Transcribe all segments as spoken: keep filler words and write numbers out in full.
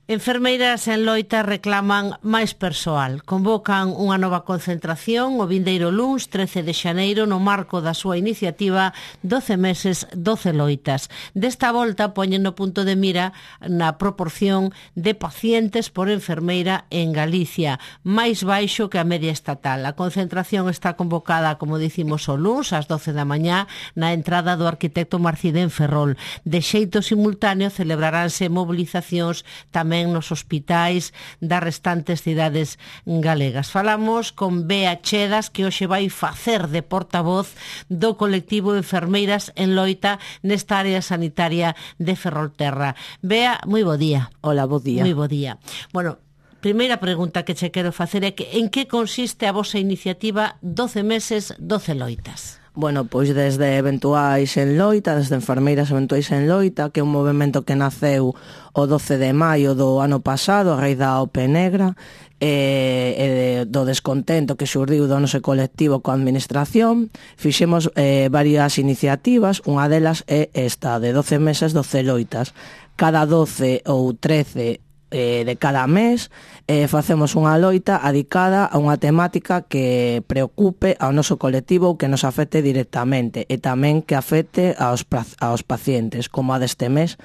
Enfermeiras en loita reclaman máis persoal. Convocan unha nova concentración o vindeiro luns trece de xaneiro no marco da súa iniciativa doce meses, doce loitas. Desta volta poñen no punto de mira na proporción de pacientes por enfermeira en Galicia, máis baixo que a media estatal. A concentración está convocada, como dicimos, o luns ás doce da mañá na entrada do arquitecto Marcidén Ferrol. De xeito simultáneo celebraránse mobilizacións tamén nos hospitais das restantes cidades galegas. Falamos con Bea Chedas, que hoxe vai facer de portavoz do colectivo de enfermeiras en loita nesta área sanitaria de Ferrolterra. Bea, moi bo día. Hola, bo día. Moi bo día. Bueno, primeira pregunta que che quero facer é que en que consiste a vosa iniciativa doce meses, doce loitas? Bueno, pois desde Eventuais en Loita, desde Enfermeiras Eventuais en Loita, que é un movimento que naceu o doce de maio do ano pasado, a raíz da O P Negra, e, e do descontento que xurdiu do noso colectivo coa administración. Fixemos eh, varias iniciativas, unha delas é esta, de doce meses, doce loitas. Cada doce ou trece de cada mes eh, facemos unha loita adicada a unha temática que preocupe ao noso colectivo ou que nos afecte directamente e tamén que afecte aos, aos pacientes, como a deste mes,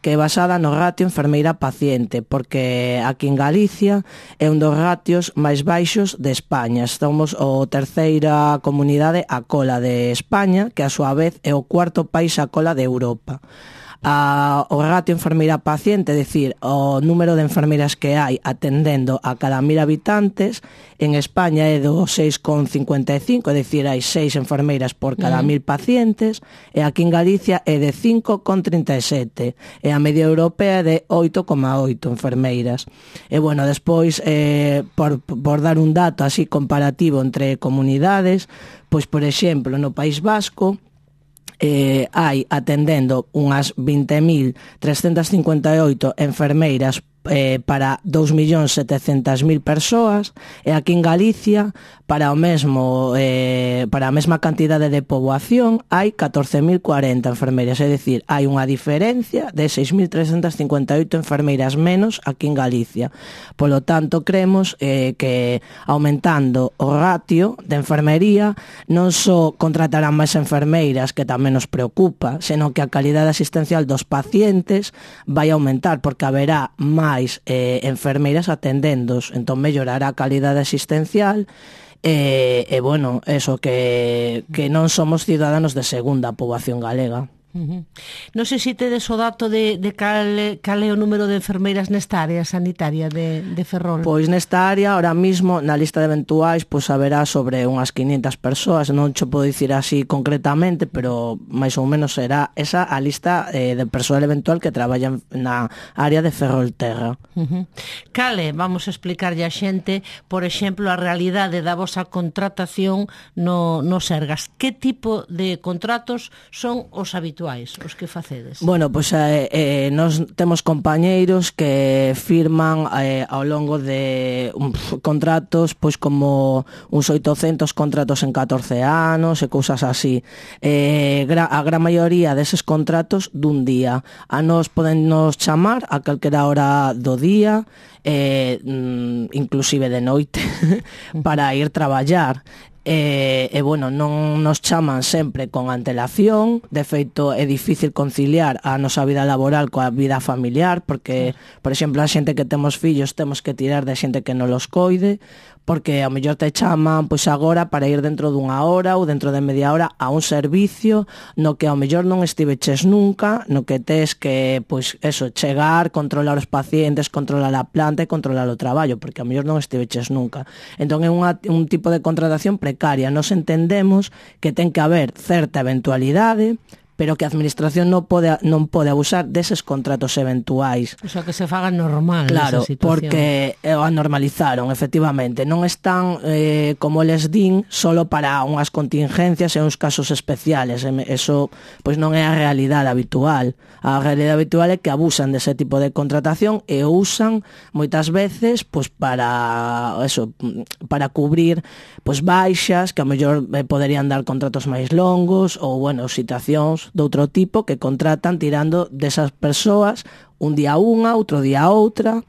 que é basada no ratio enfermeira-paciente, porque aquí en Galicia é un dos ratios máis baixos de España. Somos a terceira comunidade a cola de España, que a súa vez é o cuarto país a cola de Europa. A, o ratio enfermeira-paciente, é dicir, o número de enfermeiras que hai atendendo a cada mil habitantes, en España é do seis coma cincuenta e cinco, é dicir, hai seis enfermeiras por cada mil pacientes, e aquí en Galicia é de cinco coma trinta e sete, e a media europea é de oito coma oito enfermeiras. E, bueno, despois, eh, por, por dar un dato así comparativo entre comunidades, pois, por exemplo, no País Vasco, Eh, hai atendendo unhas vinte mil trescentas cincuenta e oito enfermeiras eh, para dous millóns setecentas mil persoas, e aquí en Galicia para o mesmo eh, para a mesma cantidade de poboación hai catorce mil cuarenta enfermeiras, é dicir, hai unha diferencia de seis mil trescentas cincuenta e oito enfermeiras menos aquí en Galicia. Polo tanto, creemos eh, que aumentando o ratio de enfermería non só contratarán máis enfermeiras, que tamén nos preocupa, senón que a calidade asistencial dos pacientes vai aumentar, porque haberá máis eh, enfermeiras atendendos, entón mellorará a calidade asistencial. E, e bueno, eso, que, que non somos ciudadanos de segunda poboación galega. Uh-huh. Non sei se tedes o dato de, de cal, cal é o número de enfermeiras nesta área sanitaria de, de Ferrol. Pois nesta área, ahora mismo, na lista de eventuais, pois haberá sobre unhas quinientas persoas, non cho podo dicir así concretamente, pero máis ou menos será esa a lista eh, de persoal eventual que traballa na área de Ferrolterra. Uh-huh. Cale, vamos a explicarlle a xente, por exemplo, a realidade da vosa contratación no, no Sergas. Que tipo de contratos son os habituais, os que facedes? Bueno, pois eh, eh, nos temos compañeiros que firman eh, ao longo de um, contratos, pois como uns oitocentos contratos en catorce anos e cousas así. Eh, gra, a gran maioría deses contratos dun día. A nos poden nos chamar a calquera hora do día, eh, inclusive de noite, para ir traballar. E, e, bueno, non nos chaman sempre con antelación. De feito, é difícil conciliar a nosa vida laboral coa vida familiar, porque, por exemplo, a xente que temos fillos temos que tirar de xente que non los coide, porque ao mellor te chaman pois agora para ir dentro dunha hora ou dentro de media hora a un servicio no que ao mellor non estiveches nunca, no que tes que, pois, eso, chegar, controlar os pacientes, controlar a planta e controlar o traballo, porque ao mellor non estiveches nunca. Entón é unha, un tipo de contratación precaria. Nos entendemos que ten que haber certa eventualidade, pero que a administración non pode non pode abusar deses contratos eventuais. O sea, que se faga normal, claro, esa situación. Porque o anormalizaron, efectivamente. Non están, eh, como les din, solo para unhas contingencias e uns casos especiales. Eso pois non é a realidade habitual. A realidade habitual é que abusan dese tipo de contratación e o usan moitas veces pois para eso, para cubrir pois baixas que a mellor eh, poderían dar contratos máis longos ou, bueno, situacións outros de outro tipo que contratan tirando desas persoas un día unha, outro día outra.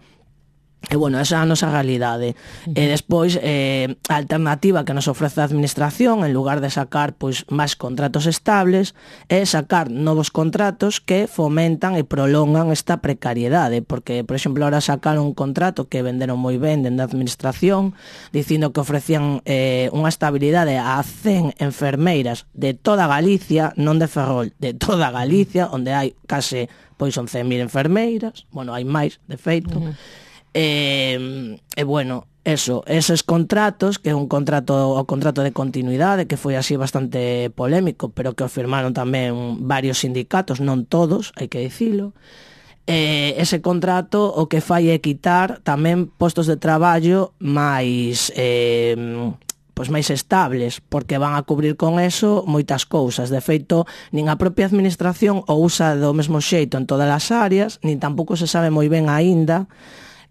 E, bueno, esa é a nosa realidade. Uh-huh. E despois, eh, a alternativa que nos ofrece a administración, en lugar de sacar pois máis contratos estables, é sacar novos contratos que fomentan e prolongan esta precariedade, porque, por exemplo, ahora sacaron un contrato que venderon moi ben dende a administración, dicindo que ofrecían eh, unha estabilidade a cen enfermeiras de toda Galicia, non de Ferrol, de toda Galicia, onde hai case pois once mil enfermeiras, bueno, hai máis, de feito. Uh-huh. E, e bueno, eso, eses contratos, que é un contrato, o contrato de continuidade, que foi así bastante polémico, pero que o firmaron tamén varios sindicatos, non todos, hai que dicilo. E ese contrato o que fai é quitar tamén postos de traballo máis eh, pois máis estables, porque van a cubrir con eso moitas cousas. De feito, nin a propia administración o usa do mesmo xeito en todas as áreas, nin tampouco se sabe moi ben aínda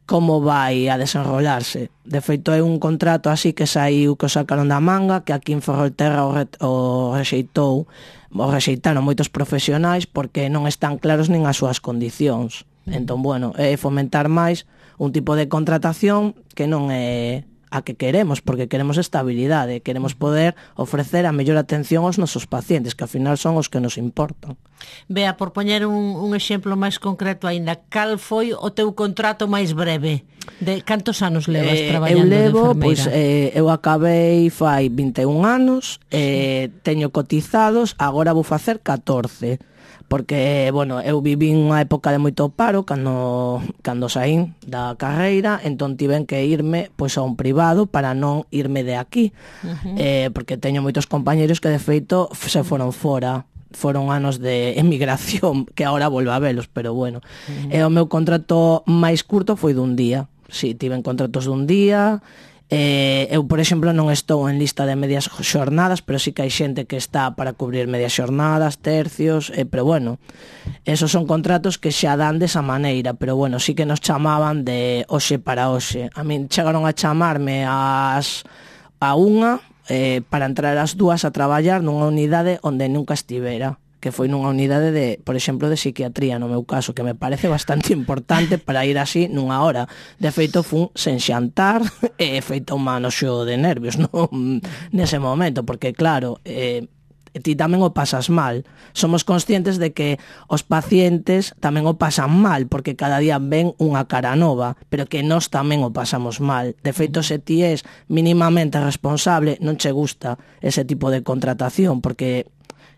como vai a desenrolarse. De feito, é un contrato así que saiu, que o sacaron da manga, que aquí en Ferrolterra o, re, o rexeitou, o rexeitaron moitos profesionais porque non están claros nin as súas condicións. Entón, bueno, é fomentar máis un tipo de contratación que non é a que queremos, porque queremos estabilidade, queremos poder ofrecer a mellor atención aos nosos pacientes, que ao final son os que nos importan. Bea, por poñer un, un exemplo máis concreto aínda, cal foi o teu contrato máis breve? De cantos anos levas eh, traballando eu levo, de enfermeira? Pois, eh, eu acabei fai vinte e un anos, eh, teño cotizados, agora vou facer catorce. Porque, bueno, eu viví unha época de moito paro cando, cando saín da carreira, entón tiven que irme pois a un privado para non irme de aquí. Uh-huh. eh, porque teño moitos compañeros que de feito se foron fora, foron anos de emigración, que agora volvo a velos, pero bueno. Uh-huh. E o meu contrato máis curto foi dun día. Si, sí, tiven contratos dun día. Eh, eu, por exemplo, non estou en lista de medias xornadas, pero sí que hai xente que está para cubrir medias xornadas, tercios, eh, pero bueno, esos son contratos que xa dan desa maneira, pero bueno, sí que nos chamaban de hoxe para hoxe. A min chegaron a chamarme ás a unha eh, para entrar ás dúas a traballar nunha unidade onde nunca estivera, que foi nunha unidade de, por exemplo, de psiquiatría, no meu caso, que me parece bastante importante para ir así nunha hora. De feito, fun sen xantar e feito un manoxo de nervios, non nese momento, porque claro, eh, ti tamén o pasas mal. Somos conscientes de que os pacientes tamén o pasan mal, porque cada día ven unha cara nova, pero que nós tamén o pasamos mal. De feito, se ti és mínimamente responsable, non che gusta ese tipo de contratación, porque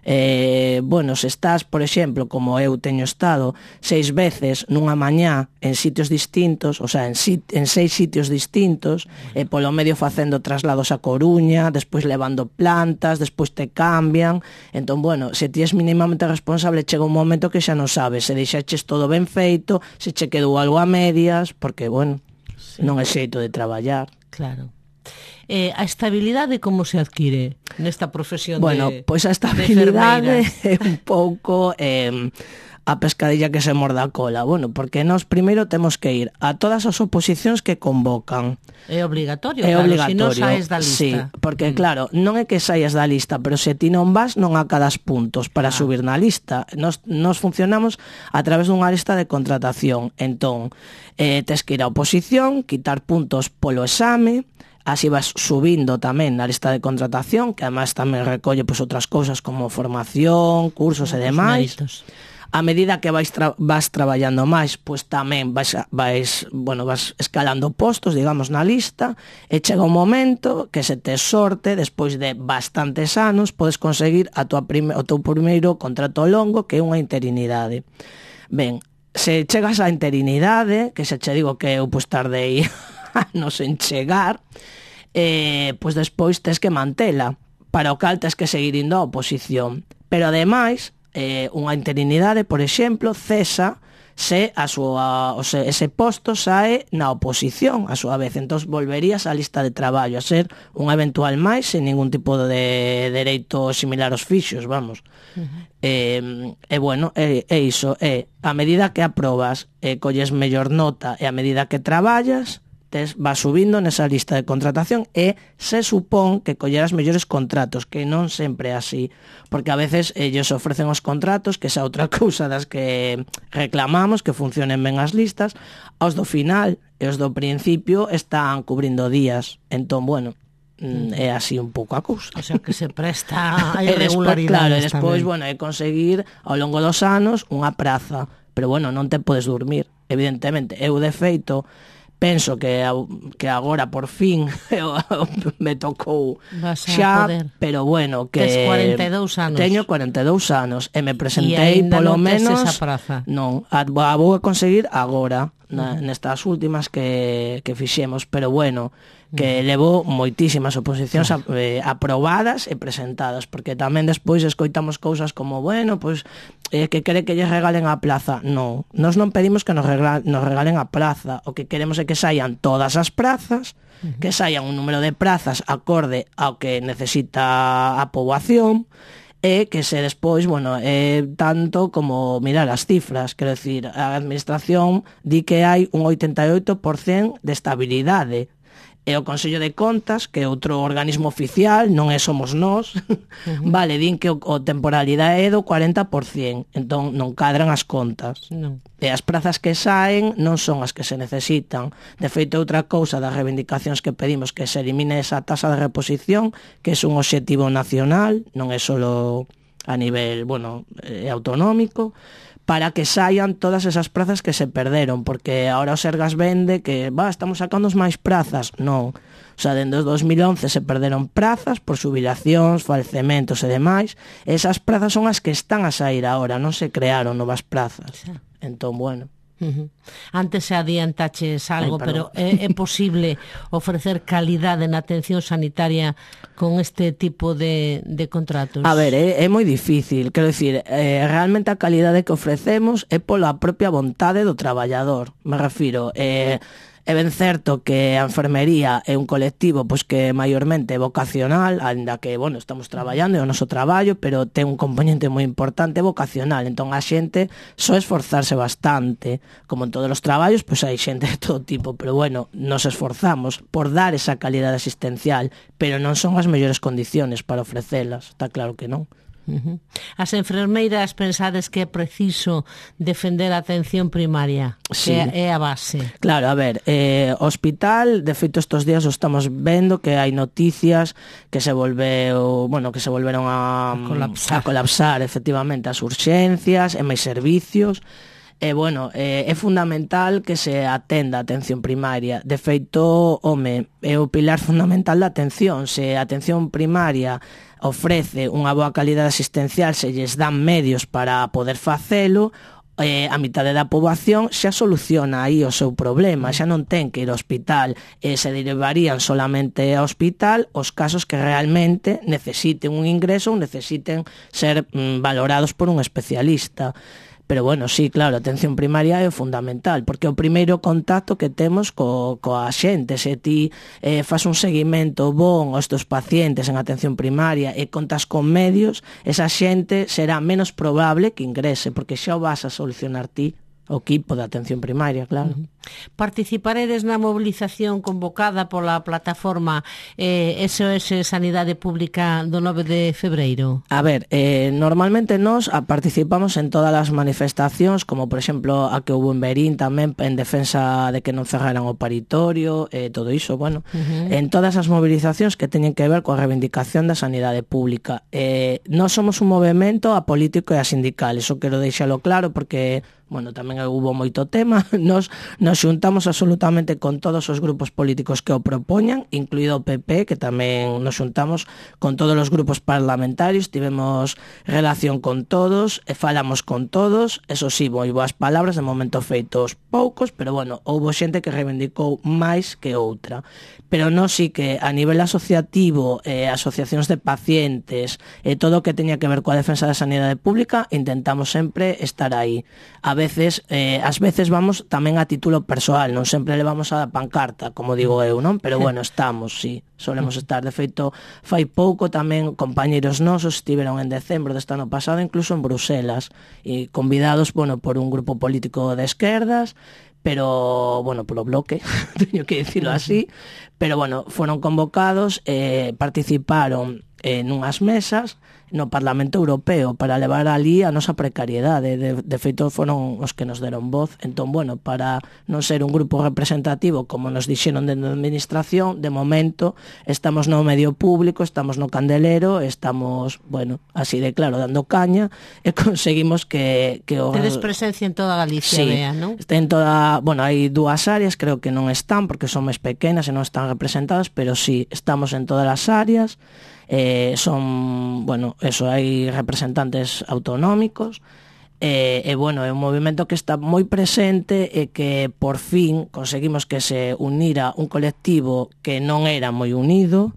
Eh, bueno, se estás, por exemplo, como eu teño estado seis veces nunha mañá en sitios distintos, o sea, en, sit en seis sitios distintos, e polo medio facendo traslados a Coruña, despois levando plantas, despois te cambian. Entón, bueno, se ti és mínimamente responsable, chega un momento que xa non sabes se deixaches todo ben feito, se che quedou algo a medias, porque, bueno, sí, non é xeito de traballar. Claro. Eh, a estabilidade como se adquire nesta profesión bueno, de Bueno, pois a estabilidade é un pouco eh, a pescadilla que se morda a cola. Bueno, porque nós primeiro temos que ir a todas as oposicións que convocan. É obligatorio, é claro, obligatorio, se non saes da lista. Sí, porque mm. claro, non é que saias da lista, pero se ti non vas, non acadas puntos para ah. subir na lista. Nos, nos funcionamos a través dunha lista de contratación. Entón, eh, tes que ir a oposición, quitar puntos polo exame, así vas subindo tamén na lista de contratación, que además tamén recolle pues, outras cousas como formación, cursos e demais. Méritos. A medida que vais, tra vas traballando máis, pues tamén vais, vais, bueno, vas escalando postos, digamos, na lista, e chega un momento que se te sorte, despois de bastantes anos, podes conseguir a tua prime o teu primeiro contrato longo, que é unha interinidade. Ben, se chegas á interinidade, que se che digo que eu pues, tardei anos en chegar, eh, pois despois tes que mantela, para o cal tes que seguir indo á oposición. Pero ademais, eh, unha interinidade, por exemplo, cesa se a súa, o se, ese posto sae na oposición a súa vez, entón volverías á lista de traballo, a ser un eventual máis sen ningún tipo de dereito similar aos fixos, vamos. Uh-huh. eh, e bueno, é, é iso, é a medida que aprobas e colles mellor nota e a medida que traballas, tes, vas subindo nesa lista de contratación e se supón que collerás mellores contratos, que non sempre é así, porque a veces ellos ofrecen os contratos, que esa outra cousa das que reclamamos, que funcionen ben as listas, aos do final e os do principio están cubrindo días. Entón, bueno, é así un pouco a cousa. O sea, que se presta a irregularidades. Claro, e despois, bueno, é conseguir ao longo dos anos unha praza, pero bueno, non te podes dormir, evidentemente. Eu, de feito, penso que que agora por fin me tocou xa, pero bueno, que tes cuarenta e dous anos. Teño cuarenta e dous anos e me presentei polo non menos esa praza. Non, a, a vou a conseguir agora, na, nestas últimas que, que fixemos, pero bueno, que levou moitísimas oposicións claro. a, eh, aprobadas e presentadas, porque tamén despois escoitamos cousas como, bueno, pois eh, que quere que lle regalen a plaza. Non, nós non pedimos que nos, regla, nos regalen a plaza, o que queremos é que saian todas as prazas, uh-huh. que saian un número de prazas acorde ao que necesita a poboación, e que se despois, bueno, é tanto como mirar as cifras, quero decir, a administración di que hai un oitenta e oito por cento de estabilidade, e o Consello de Contas, que é outro organismo oficial, non é somos nós, uh-huh. vale, din que o, o temporalidade é do cuarenta por cento, entón non cadran as contas. Non. E as prazas que saen non son as que se necesitan. De feito, outra cousa das reivindicacións que pedimos que se elimine esa tasa de reposición, que é un obxectivo nacional, non é solo a nivel, bueno, eh, autonómico, para que saian todas esas prazas que se perderon, porque ahora o Sergas vende que, va, estamos sacando máis prazas. Non. O sea, dende o dos mil once se perderon prazas por xubilacións, falecementos e demais. Esas prazas son as que están a sair agora, non se crearon novas prazas. Sí. Entón, bueno... Uh-huh. Antes se adiantaches algo, Ay, pero é, é posible ofrecer calidade na atención sanitaria con este tipo de, de contratos? A ver, é, é moi difícil, quero dicir, eh, realmente a calidade que ofrecemos é pola propia vontade do traballador, me refiro, eh, é ben certo que a enfermería é un colectivo pois que maiormente é vocacional, ainda que, bueno, estamos traballando, é o noso traballo, pero ten un componente moi importante vocacional, entón a xente só esforzarse bastante, como en todos os traballos, pois hai xente de todo tipo, pero bueno, nos esforzamos por dar esa calidade asistencial, pero non son as mellores condiciones para ofrecelas, está claro que non. Uh-huh. As enfermeiras pensades que é preciso defender a atención primaria, sí. que é a base. Claro, a ver, eh, hospital, de feito estos días o estamos vendo que hai noticias que se volveu, bueno, que se volveron a, a colapsar, a colapsar efectivamente as urxencias e máis servicios. E, bueno, eh, é fundamental que se atenda a atención primaria. De feito, home, é o pilar fundamental da atención. Se a atención primaria ofrece unha boa calidade asistencial, se lles dan medios para poder facelo, eh, a mitade da poboación xa soluciona aí o seu problema, xa non ten que ir ao hospital, e se derivarían solamente ao hospital os casos que realmente necesiten un ingreso ou necesiten ser mm, valorados por un especialista. Pero bueno, sí, claro, a atención primaria é fundamental, porque é o primeiro contacto que temos co, coa xente. Se ti eh, fas un seguimento bon aos teus pacientes en atención primaria e contas con medios, esa xente será menos probable que ingrese, porque xa o vas a solucionar ti, o equipo de atención primaria, claro. Uh-huh. Participaredes na mobilización convocada pola plataforma eh, S O S Sanidade Pública do nove de febreiro? A ver, eh, normalmente nós participamos en todas as manifestacións, como por exemplo a que houve en Berín tamén en defensa de que non cerraran o paritorio, eh, todo iso, bueno, uh-huh. en todas as movilizacións que teñen que ver coa reivindicación da sanidade pública. Eh, nós somos un movimento apolítico e asindical, iso quero deixalo claro, porque bueno, tamén hubo moito tema, nos, nos xuntamos absolutamente con todos os grupos políticos que o propoñan, incluído o P P, que tamén nos xuntamos con todos os grupos parlamentarios, tivemos relación con todos, e falamos con todos, eso sí, moi boas palabras, de momento feitos poucos, pero bueno, houbo xente que reivindicou máis que outra. Pero non sí que a nivel asociativo, eh, asociacións de pacientes, e eh, todo o que teña que ver coa defensa da sanidade pública, intentamos sempre estar aí. A veces, eh, ás veces vamos tamén a título persoal, non sempre levamos a pancarta, como digo eu, non? Pero bueno, estamos, sí, solemos estar. De feito, fai pouco tamén compañeros nosos estiveron en decembro deste ano pasado, incluso en Bruselas, e convidados, bueno, por un grupo político de esquerdas, pero, bueno, polo bloque, teño que dicirlo así, pero, bueno, foron convocados, eh, participaron en unhas mesas no Parlamento Europeo para levar ali a nosa precariedade. De, de feito, foron os que nos deron voz. Entón, bueno, para non ser un grupo representativo, como nos dixeron dentro da administración, de momento estamos no medio público, estamos no candelero, estamos, bueno, así de claro, dando caña, e conseguimos que... que o... Tedes presencia en toda Galicia, sí, vea, non? En toda, bueno, hai dúas áreas, creo que non están, porque son máis pequenas e non están representadas, pero sí, estamos en todas as áreas. Eh, son, bueno, eso, hai representantes autonómicos, e, e, bueno, é un movimento que está moi presente e que por fin conseguimos que se unira un colectivo que non era moi unido.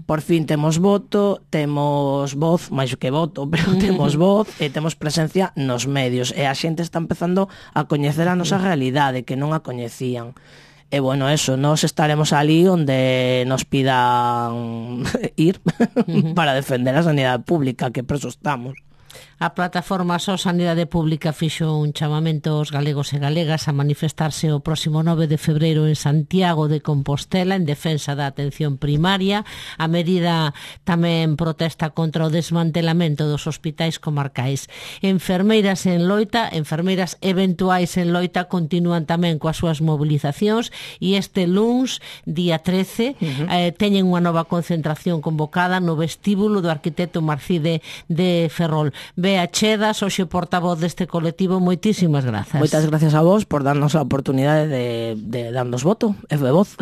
Por fin temos voto, temos voz, máis que voto, pero temos voz e temos presencia nos medios, e a xente está empezando a coñecer a nosa realidade, que non a coñecían. E, bueno, eso, nos estaremos ali onde nos pidan ir para defender a sanidade pública, que por eso estamos. A plataforma Só Sanidade Pública fixo un chamamento aos galegos e galegas a manifestarse o próximo nove de febreiro en Santiago de Compostela en defensa da atención primaria. A medida tamén protesta contra o desmantelamento dos hospitais comarcais. Enfermeiras en loita, enfermeiras eventuais en loita continúan tamén coas súas mobilizacións e este luns, día trece, uh-huh. eh, teñen unha nova concentración convocada no vestíbulo do arquitecto Marcide de Ferrol. Bea Chedas, hoxe portavoz deste colectivo, moitísimas grazas. Moitas gracias a vos por darnos a oportunidade de, de darnos voto e de voz.